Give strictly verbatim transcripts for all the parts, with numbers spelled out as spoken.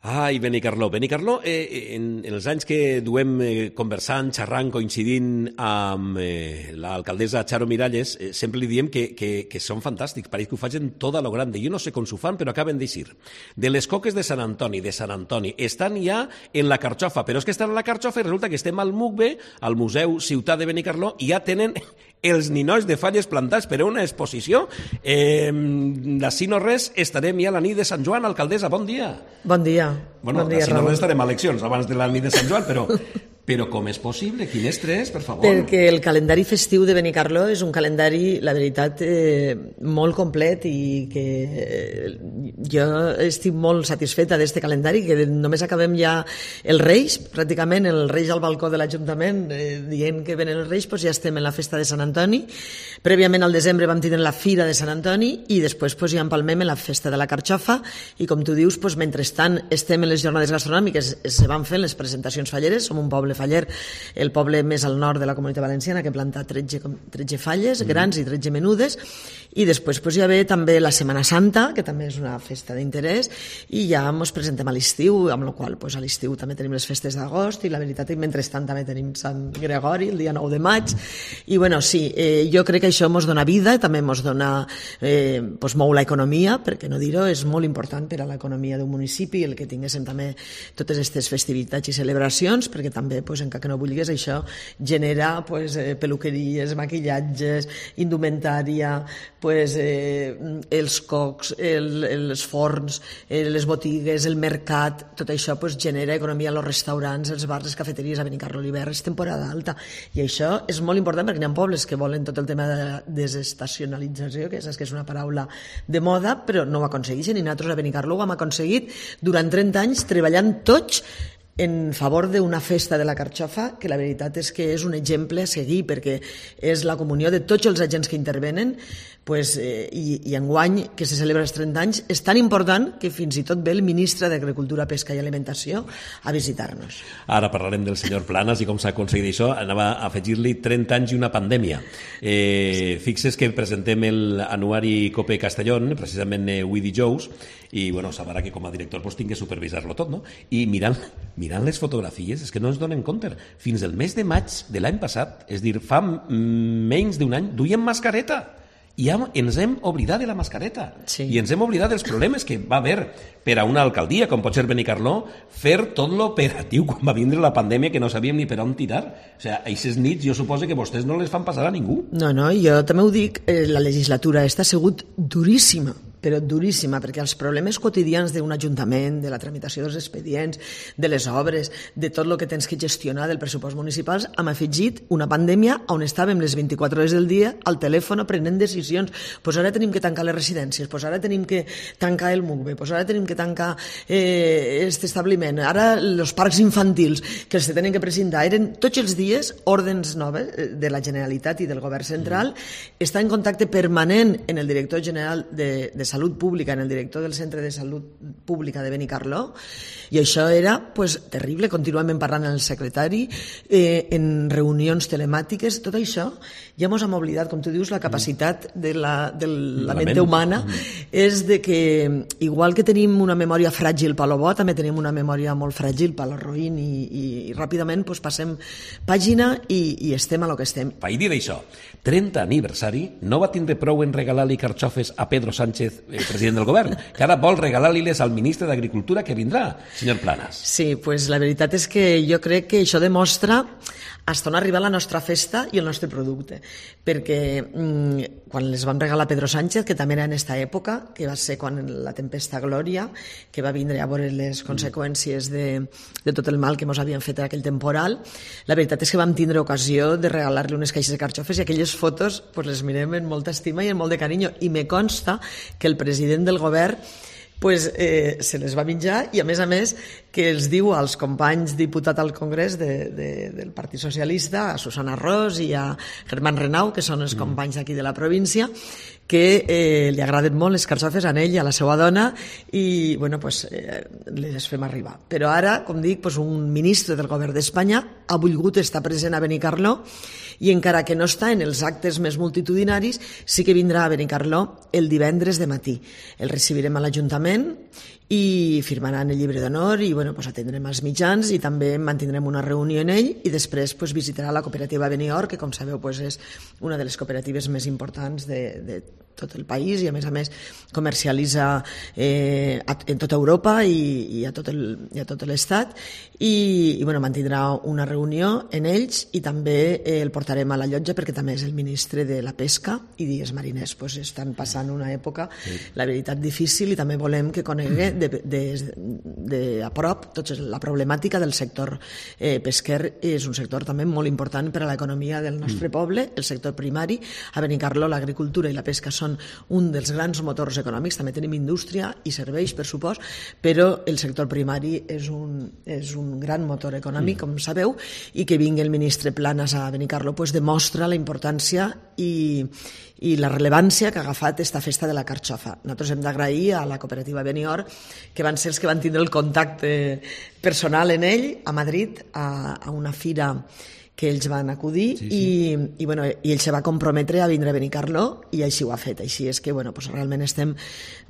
Ai, Benicarló. Benicarló, eh, en, en els anys que duem eh, conversant, xerrant, coincidint amb eh, l'alcaldessa Charo Miralles, eh, sempre li diem que, que, que són fantàstics, pareix que ho facin tot a lo grande. Jo no sé com s'ho fan, però acaben d'eixir. De les coques de Sant Antoni, de Sant Antoni, estan ja en la Carxofa, però és que estan en la Carxofa i resulta que estem al MUCBE, al Museu Ciutat de Benicarló, i ja tenen els ninois de falles plantats per a una exposició. Eh, D'ací no res, estarem ja a la nit de Sant Joan. Alcaldessa, bon dia. Bon dia. Bueno, bon dia, d'ací no res estarem a eleccions abans de la nit de Sant Joan, però... Però com és possible? Quin estrès, per favor? Perquè el calendari festiu de Benicarló és un calendari, la veritat, eh, molt complet i que eh, jo estic molt satisfeta d'este calendari, que només acabem ja els Reis, pràcticament el Reis al balcó de l'Ajuntament eh, dient que venen els Reis, doncs ja estem en la festa de Sant Antoni. Prèviament al desembre vam tenir la Fira de Sant Antoni i després doncs, ja empalmem en la festa de la Carxofa i com tu dius, doncs, mentrestant estem en les jornades gastronòmiques, se van fent les presentacions falleres, som un poble faller, el poble més al nord de la Comunitat Valenciana, que planta tretze, tretze falles, mm. grans i tretze menudes, i després pues, ja ve també la Setmana Santa, que també és una festa d'interès, i ja ens presentem a l'estiu, amb la qual pues, a l'estiu també tenim les festes d'agost, i la veritat, i mentrestant també tenim Sant Gregori, el dia nou de maig, i bueno, sí, eh, jo crec que això ens dona vida, també ens dona, eh, pues, mou l'economia, perquè no dir-ho, és molt important per a l'economia d'un municipi, el que tinguéssim també totes aquestes festivitats i celebracions, perquè també pues, encara que no vulguis, això genera pues, eh, peluqueries, maquillatges, indumentària, pues, eh, els cocs, el, els forns, eh, les botigues, el mercat, tot això pues, genera economia als restaurants, els bars, les cafeteries. A Benicarló l'hivern és temporada alta i això és molt important perquè hi ha pobles que volen tot el tema de la desestacionalització, que saps que és una paraula de moda, però no ho aconsegueixen i nosaltres a Benicarló ho hem aconseguit durant trenta anys treballant tots en favor d'una festa de la Carxofa que la veritat és que és un exemple a seguir perquè és la comunió de tots els agents que intervenen pues, eh, i, i enguany que se celebra els trenta anys és tan important que fins i tot ve el ministre d'Agricultura, Pesca i Alimentació a visitar-nos. Ara parlarem del senyor Planas i com s'ha aconseguit això. Anava a afegir-li trenta anys i una pandèmia. Eh, fixes que presentem l'anuari Cope Castellón, precisament eh, avui dijous, i bueno, sabrà que com a director pues, tinc que supervisar-lo tot, no? I mirant, mirant les fotografies, és que no ens donen compte. Fins el mes de maig de l'any passat, és dir, fa menys d'un any, duien mascareta. I ja ens hem oblidat de la mascareta. Sí. I ens hem oblidat dels problemes que va haver per a una alcaldia, com pot ser Benicarló, fer tot l'operatiu quan va vindre la pandèmia que no sabíem ni per on tirar. O sigui, aquestes nits jo suposo que vostès no les fan passar a ningú. No, no, jo també ho dic, eh, la legislatura està sigut duríssima, però duríssima, perquè els problemes quotidians d'un ajuntament, de la tramitació dels expedients, de les obres, de tot el que tens que gestionar del pressupost municipal, hem afegit una pandèmia on estàvem les vint-i-quatre hores del dia al telèfon prenent decisions. Pues ara tenim que tancar les residències, pues ara tenim que tancar el MUCBE, pues ara tenim que tancar eh, este establiment, ara els parcs infantils que els tenen que presentar. Eren tots els dies ordens noves de la Generalitat i del Govern Central. Mm. Està en contacte permanent en el director general de, de Salut Pública, en el director del Centre de Salut Pública de Benicarló, i això era pues, terrible, contínuament parlant amb el secretari, eh, en reunions telemàtiques, tot això ja ens hem oblidat, com tu dius, la capacitat de la, de la ment humana és de que, igual que tenim una memòria fràgil per lo bo, també tenim una memòria molt fràgil per lo roïn i, i, i ràpidament pues, passem pàgina i, i estem a lo que estem. Vaig dir això, trenta aniversari, no va tindre prou en regalar-li carxofes a Pedro Sánchez, el president del govern, que ara vol regalar-li-les al ministre d'Agricultura que vindrà, senyor Planas. Sí, pues la veritat és que jo crec que això demostra fins on ha arribat la nostra festa i el nostre producte, perquè mmm, quan les vam regalar a Pedro Sánchez, que també era en aquesta època, que va ser quan la tempesta Glòria, que va vindre a veure les conseqüències de, de tot el mal que ens havien fet aquell temporal, la veritat és que vam tindre ocasió de regalar-li unes caixes de carxofes i aquelles fotos pues, les mirem amb molta estima i amb molt de carinyo, i me consta que el president del govern pues, eh, se les va menjar i a més a més que els diu als companys diputats al Congrés de, de, del Partit Socialista, a Susana Ros i a Germán Renau, que són els companys d'aquí de la província, que eh, li agraden molt les carxofes a ell i a la seva dona i bueno, pues, eh, les fem arribar. Però ara, com dic, pues, un ministre del govern d'Espanya ha volgut estar present a Benicarló i encara que no està en els actes més multitudinaris, sí que vindrà a Benicarló el divendres de matí. El recibirem a l'Ajuntament l'Ajuntament i firmaran el llibre d'honor i bueno, pues, atendrem els mitjans i també mantindrem una reunió en ell i després pues, visitarà la cooperativa Benior, que com sabeu pues, és una de les cooperatives més importants de, de tot el país i a més a més comercialitza eh, en tota Europa i, i a tot el, i a tot l'estat i, i bueno, mantindrà una reunió en ells i també eh, el portarem a la llotja perquè també és el ministre de la pesca i dies mariners, pues, estan passant una època sí. la veritat difícil i també volem que conegui de, de, de a prop tota la problemàtica del sector eh, pesquer. És un sector també molt important per a l'economia del nostre mm. poble, el sector primari. A Benicarló l'agricultura i la pesca són un dels grans motors econòmics, també tenim indústria i serveis, per supost, però el sector primari és un, és un gran motor econòmic, mm. com sabeu, i que vingui el ministre Planas a Benicarló pues, demostra la importància i, i la rellevància que ha agafat esta festa de la carxofa. Nosaltres hem d'agrair a la cooperativa Benior, que van ser els que van tindre el contacte personal en ell, a Madrid, a, a una fira que ells van acudir sí, sí. I, i, bueno, i ell se va comprometre a vindre a Benicarló i així ho ha fet. Així és que bueno, pues realment estem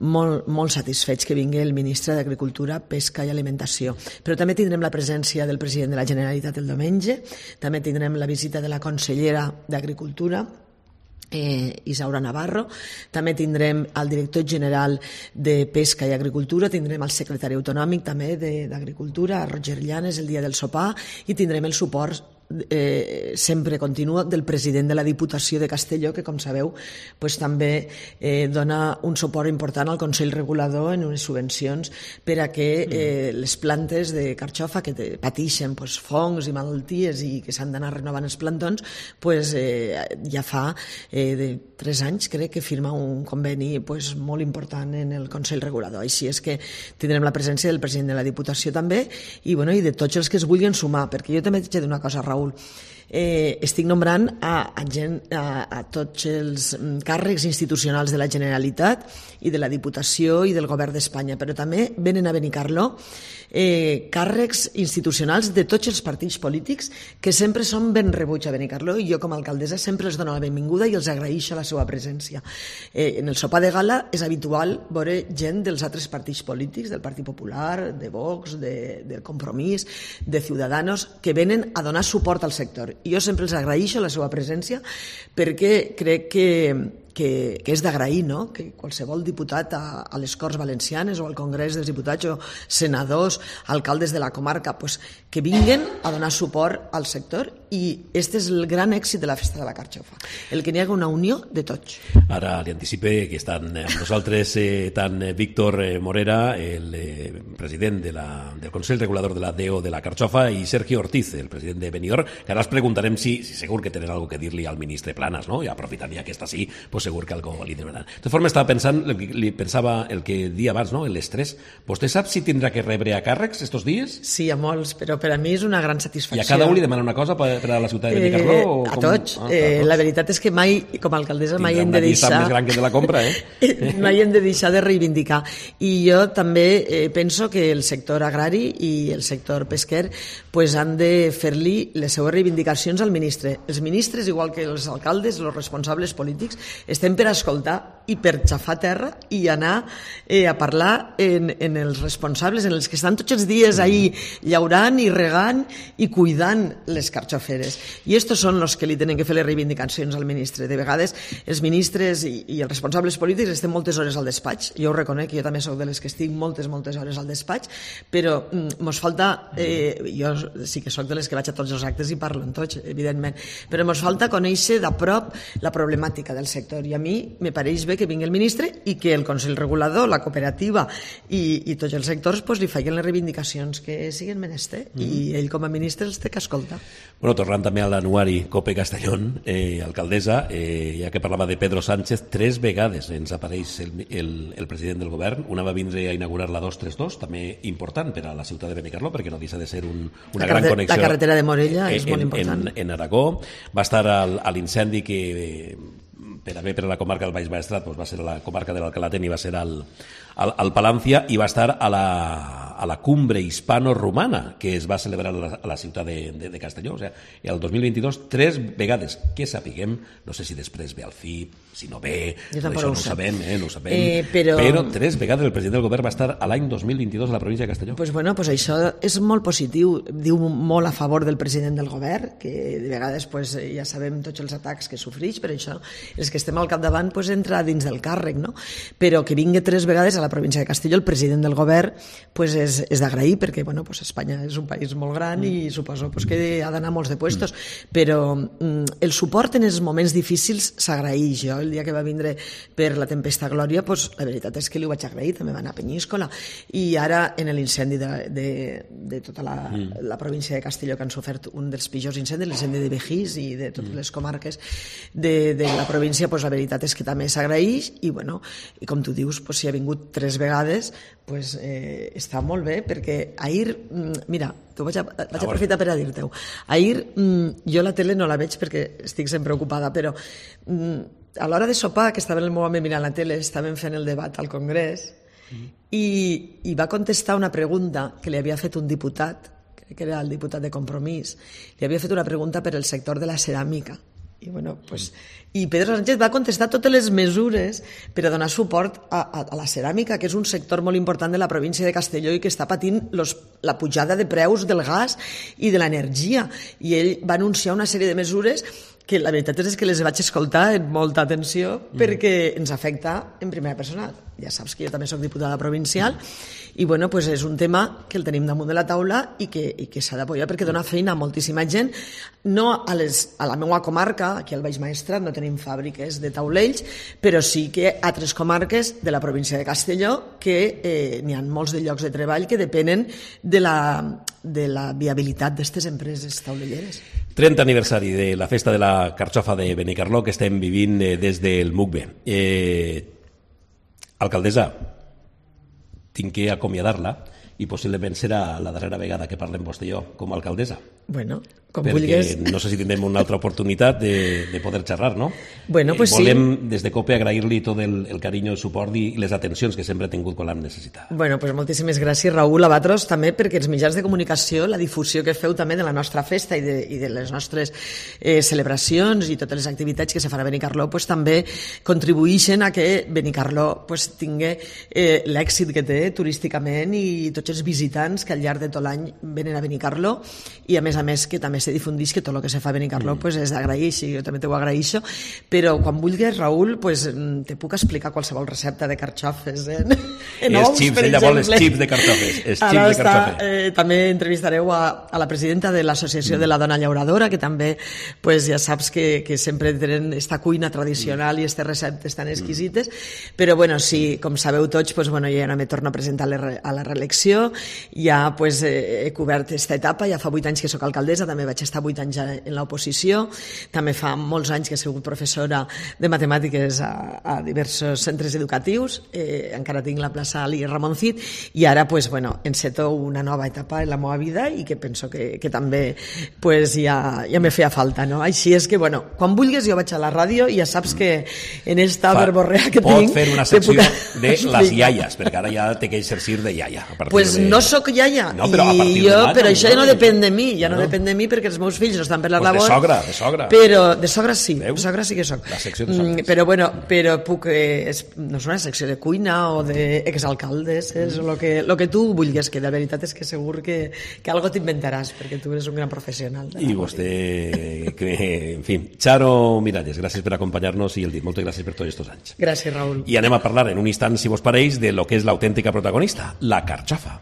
molt, molt satisfets que vingui el ministre d'Agricultura, Pesca i Alimentació. Però també tindrem la presència del president de la Generalitat el diumenge, també tindrem la visita de la consellera d'Agricultura, Eh, Isaura Navarro, també tindrem el director general de Pesca i Agricultura, tindrem el secretari autonòmic també d'Agricultura, Roger Llanes, el dia del sopar, i tindrem el suport eh, sempre continua del president de la Diputació de Castelló, que com sabeu pues, també eh, dona un suport important al Consell Regulador en unes subvencions per a que eh, les plantes de carxofa que te, patixen pues, fongs i malalties i que s'han d'anar renovant els plantons, pues, eh, ja fa eh, de tres anys crec que firma un conveni pues, molt important en el Consell Regulador. Així és que tindrem la presència del president de la Diputació també i, bueno, i de tots els que es vulguin sumar, perquè jo també t'he de dir una cosa, Raül. Eh, estic nombrant a, a, gent, a, a tots els càrrecs institucionals de la Generalitat i de la Diputació i del Govern d'Espanya, però també venen a Benicarló eh, càrrecs institucionals de tots els partits polítics que sempre són ben rebuts a Benicarló i jo com a alcaldessa sempre els dono la benvinguda i els agraeixo la seva presència. Eh, en el sopar de gala és habitual veure gent dels altres partits polítics, del Partit Popular, de Vox, de, del Compromís, de Ciudadanos, que venen a donar suport al sector. I jo sempre els agraeixo la seva presència perquè crec que, que, que és d'agrair, no? Que qualsevol diputat a, a les Corts Valencianes o al Congrés dels Diputats o senadors, alcaldes de la comarca, pues, que vinguen a donar suport al sector i este és el gran èxit de la Festa de la Carxofa, el que n'hi haga una unió de tots. Ara li anticipe que estan amb nosaltres eh, tant Víctor Morera, el eh, president de la, del Consell Regulador de la D E O de la Carxofa, i Sergio Ortiz, el president de Benior, que ara els preguntarem si, si segur que tenen alguna que dir-li al ministre Planas, no? I aprofitant ja que està així, pues segur que algo li diran. De tota forma, estava pensant, li pensava el que dia abans, no? L'estrès. Vostè sap si tindrà que rebre a càrrecs estos dies? Sí, a molts, però per a mi és una gran satisfacció. I a cada un li demana una cosa per, per a la ciutat de Benicarló? Eh, a, com... tots. Ah, eh, a tots. La veritat és que mai, com a alcaldessa, mai hem de deixar... Tindrà una llista més gran que de la compra, eh? mai hem de deixar de reivindicar. I jo també eh, penso que el sector agrari i el sector pesquer pues, han de fer-li les seues reivindicacions al ministre. Els ministres, igual que els alcaldes, els responsables polítics, estem per escoltar i per xafar terra i anar eh, a parlar en, en els responsables, en els que estan tots els dies ahí llaurant i regant i cuidant les carxoferes. I estos són els que li tenen que fer les reivindicacions al ministre. De vegades els ministres i, i els responsables polítics estem moltes hores al despatx. Jo ho reconec, jo també soc de les que estic moltes, moltes hores al despatx, però mm, mos falta, eh, jo sí que soc de les que vaig a tots els actes i parlo en tots, evidentment, però mos falta conèixer de prop la problemàtica del sector i a mi me pareix bé que vingui el ministre i que el Consell Regulador, la cooperativa i, i tots els sectors pues, li facin les reivindicacions que siguin menester mm. i ell com a ministre els té que escoltar. Bueno, tornant també a l'anuari Cope Castellón, eh, alcaldessa, eh, ja que parlava de Pedro Sánchez, tres vegades ens apareix el, el, el president del govern. Una va vindre a inaugurar la dos trenta dos, també important per a la ciutat de Benicarló, perquè no deixa de ser un, una gran connexió. La carretera de Morella en, és molt important. En, en Aragó. Va estar al, a l'incendi que... Eh, per haver per a la comarca del Baix Maestrat doncs va ser a la comarca de l'Alcalatén i va ser al, al, al Palància i va estar a la, a la cumbre hispano-romana que es va celebrar a la, a la ciutat de, de, de Castelló. O sigui, el dos mil vint-i-dos, tres vegades, que sapiguem, no sé si després ve al C I P, si no ve, això no ho sabem, eh, no ho sabem, eh, però... però tres vegades el president del govern va estar a l'any dos mil vint-i-dos a la província de Castelló. Pues bueno, pues això és molt positiu, diu molt a favor del president del govern, que de vegades pues, ja sabem tots els atacs que sofreix, per això els que estem al capdavant pues, entra dins del càrrec, no? Però que vingui tres vegades a la província de Castelló el president del govern pues, és, és d'agrair, perquè bueno, pues, Espanya és un país molt gran i suposo pues, que ha d'anar molts de puestos, però mm, el suport en els moments difícils s'agraeix. Jo el dia que va vindre per la tempesta Glòria, pues, la veritat és que li ho vaig agrair, també va anar a Penyíscola, i ara en l'incendi de, de, de tota la, mm. la província de Castelló, que han sofert un dels pitjors incendis, l'incendi de Begís i de totes les comarques de, de la província, pues, la veritat és que també s'agraeix, i, bueno, i com tu dius, pues, si ha vingut tres vegades, pues, eh, està molt bé, perquè ahir, mira, t'ho vaig, a, vaig aprofitar per a dir-te-ho, ahir jo la tele no la veig perquè estic sempre ocupada, però a l'hora de sopar, que estava el meu home mirant la tele, estàvem fent el debat al Congrés, mm. i, i va contestar una pregunta que li havia fet un diputat, que era el diputat de Compromís, li havia fet una pregunta per el sector de la ceràmica. I, bueno, pues, i Pedro Sánchez va contestar totes les mesures per a donar suport a, a, a la ceràmica, que és un sector molt important de la província de Castelló i que està patint los, la pujada de preus del gas i de l'energia. I ell va anunciar una sèrie de mesures que la veritat és que les vaig escoltar amb molta atenció perquè ens afecta en primera persona. Ja saps que jo també soc diputada provincial i bueno, pues és un tema que el tenim damunt de la taula i que, i que s'ha d'apoyar perquè dona feina a moltíssima gent. No a, les, a la meva comarca, aquí al Baix Maestrat no tenim fàbriques de taulells, però sí que a altres comarques de la província de Castelló que eh, n'hi ha molts de llocs de treball que depenen de la, de la viabilitat d'aquestes empreses taulelleres. trenta aniversari de la festa de la carxofa de Benicarló que estem vivint eh, des del M U C B. Eh, alcaldessa, tinc que acomiadar-la i possiblement serà la darrera vegada que parlem vostè i jo com a alcaldessa. Bueno, com perquè vulguis. No sé si tindrem una altra oportunitat de, de poder xerrar, no? Bueno, pues eh, volem sí. des de COPE agrair-li tot el, el carinyo, el suport i les atencions que sempre ha tingut quan l'hem necessitat. Bueno, pues moltíssimes gràcies, Raül Abatros, també perquè els mitjans de comunicació, la difusió que feu també de la nostra festa i de, i de les nostres eh, celebracions i totes les activitats que se farà a Benicarló, pues, també contribueixen a que Benicarló pues, tingui eh, l'èxit que té turísticament i tots els visitants que al llarg de tot l'any venen a Benicarló i a més a més que també se difundeix que tot el que se fa a Benicarló mm. pues, és d'agrair, i jo també t'ho agraeixo, però quan vulguis, Raül, pues, te puc explicar qualsevol recepta de carxofes eh? en els ous, xips, per ella exemple. vol els xips de carxofes, els Ara xips de està, carxofes. Eh, també entrevistareu a, a la presidenta de l'Associació mm. de la Dona Llauradora, que també pues, ja saps que, que sempre tenen esta cuina tradicional mm. i aquestes receptes tan exquisites, mm. però bueno, sí, com sabeu tots, pues, bueno, ja no me torno a presentar a la reelecció, ja pues, eh, he cobert aquesta etapa, ja fa vuit anys que sóc alcaldessa, també vaig estar vuit anys en l'oposició, també fa molts anys que he sigut professora de matemàtiques a, a diversos centres educatius, eh, encara tinc la plaça Ali Ramon Cid, i ara pues, bueno, enceto una nova etapa en la meva vida i que penso que, que també pues, ja, ja me feia falta, no? Així és que, bueno, quan vulguis jo vaig a la ràdio i ja saps que en esta Fa, verborrea que pot tinc... Pot fer una secció puc... de les iaies, perquè ara ja té que exercir de iaia. Pues de... no sóc iaia, no, però, a i jo, de però això ja no depèn de mi, ja no, no depèn de mi perquè els meus fills no estan per la pues labor. De sogra, de sogra. Però de sogra sí, Veu? de sogra sí que soc. La secció de sogres. Però bueno, però puc, eh, és, no és una secció de cuina o d'exalcaldes, és mm. lo que, lo que tu vulguis, que de veritat és que segur que, que algo t'inventaràs, perquè tu eres un gran professional. I vostè, que, en fi, Charo Miralles, gràcies per acompanyar-nos i el dit, moltes gràcies per tots aquests anys. Gràcies, Raül. I anem a parlar en un instant, si vos pareix, de lo que és l'autèntica protagonista, la carxofa.